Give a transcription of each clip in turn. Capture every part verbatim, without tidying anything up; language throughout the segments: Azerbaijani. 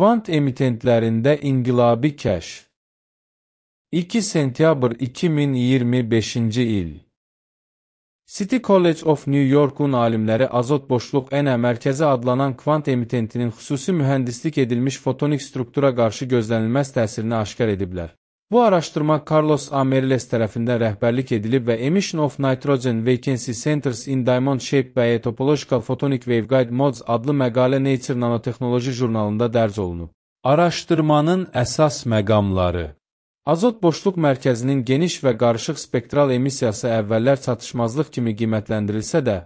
Kvant emitentlərində inqilabi kəşf. iki sentyabr iki min iyirmi beşinci il. City College of New York'un alimləri azot boşluq N mərkəzi adlanan kvant emitentinin xüsusi mühəndislik edilmiş fotonik struktura qarşı gözlənilməz təsirini aşkar ediblər. Bu araşdırma Carlos A. Meriles tərəfindən rəhbərlik edilib və Emission of Nitrogen Vacancy Centers in Diamond Shape by a Topological Photonic Waveguide Modes adlı məqalə Nature Nanotechnology jurnalında dərc olunub. Araşdırmanın əsas məqamları. Azot boşluq mərkəzinin geniş və qarışıq spektral emissiyası əvvəllər çatışmazlıq kimi qiymətləndirilsə də,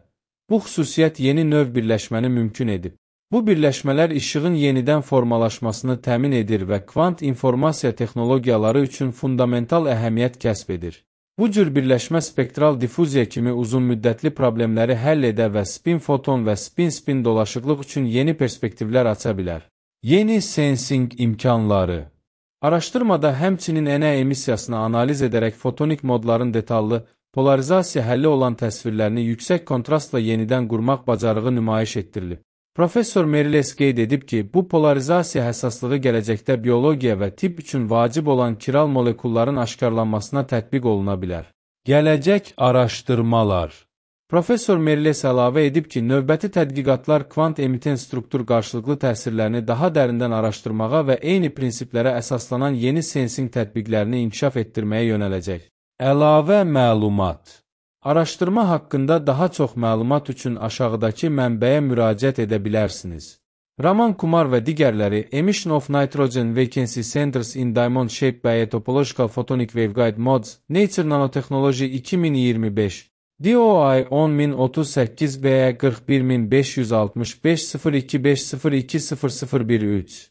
bu xüsusiyyət yeni növ birləşməni mümkün edib. Bu birləşmələr işığın yenidən formalaşmasını təmin edir və kvant informasiya texnologiyaları üçün fundamental əhəmiyyət kəsb edir. Bu cür birləşmə spektral difuziya kimi uzunmüddətli problemləri həll edə və spin-foton və spin-spin dolaşıqlıq üçün yeni perspektivlər aça bilər. Yeni sensing imkanları. Araşdırmada həmçinin N emissiyasını analiz edərək fotonik modların detallı, polarizasiya həlli olan təsvirlərini yüksək kontrastla yenidən qurmaq bacarığı nümayiş etdirilib. Professor Meriles qeyd edib ki, bu polarizasiya həssaslığı gələcəkdə biologiya və tibb üçün vacib olan kiral molekulların aşkarlanmasına tətbiq oluna bilər. Gələcək araşdırmalar. Professor Meriles əlavə edib ki, növbəti tədqiqatlar kvant emitent struktur qarşılıqlı təsirlərini daha dərindən araşdırmağa və eyni prinsiplərə əsaslanan yeni sensing tətbiqlərini inkişaf etdirməyə yönələcək. Əlavə məlumat. Araşdırma haqqında daha çox məlumat üçün aşağıdakı mənbəyə müraciət edə bilərsiniz. Raman Kumar və digərləri Emission of Nitrogen Vacancy Centers in Diamond Shape by a Topological Photonic Waveguide Modes Nature Nanotechnology iki min iyirmi beş D O I on min otuz səkkiz B qırx bir min beş yüz altmış beş sıfır iki beş sıfır iki sıfır sıfır bir üç